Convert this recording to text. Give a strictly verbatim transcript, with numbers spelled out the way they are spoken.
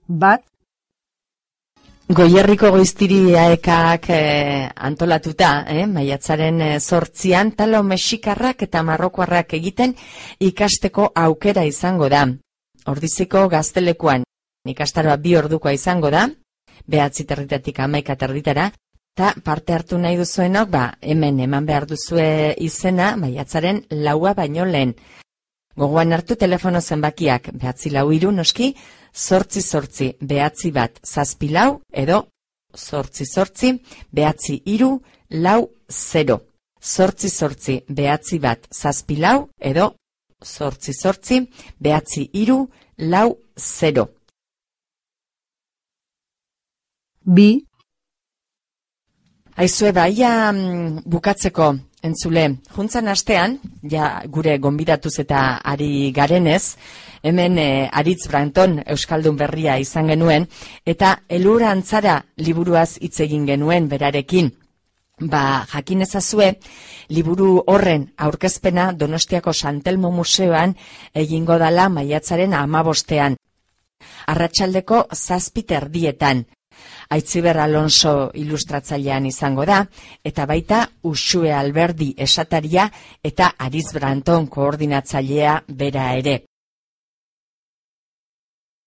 Bat. Goierriko Goiztiri aekak eh, antolatuta, eh, maiatzaren eh, zortzian, talo mexikarrak eta marrokoarrak egiten ikasteko aukera izango da. Ordiziko Gaztelekuan ikastaroa bi ordukoa izango da, behatzi territatik hamaika territara, eta parte hartu nahi duzuenok, ba, hemen eman behar duzue izena, maiatzaren laua baino lehen. Gogoan hartu telefono zenbakiak, behatzi lau hiru noski, zortzi zortzi, behatzi bat, zazpi lau, edo zortzi zortzi, behatzi hiru, lau zero. Zortzi zortzi, behatzi bat, zazpi lau, edo zortzi zortzi, behatzi hiru, lau zero. Bi. Aizue, baia bukatzeko, entzule, juntzan astean, ja gure gonbidatuz eta ari garenez, hemen eh, Aritz Branton Euskaldun berria izan genuen, eta Elur Antzara liburuaz hitz egin genuen berarekin. Ba, jakin ezazue, liburu horren aurkezpena Donostiako Santelmo Museoan egingo dala maiatzaren hamabostean. Arratsaldeko zazpi erdietan. Aitziber Alonso ilustratzailean izango da, eta baita Uxue Alberdi esataria eta Aritz Branton koordinatzailea bera ere.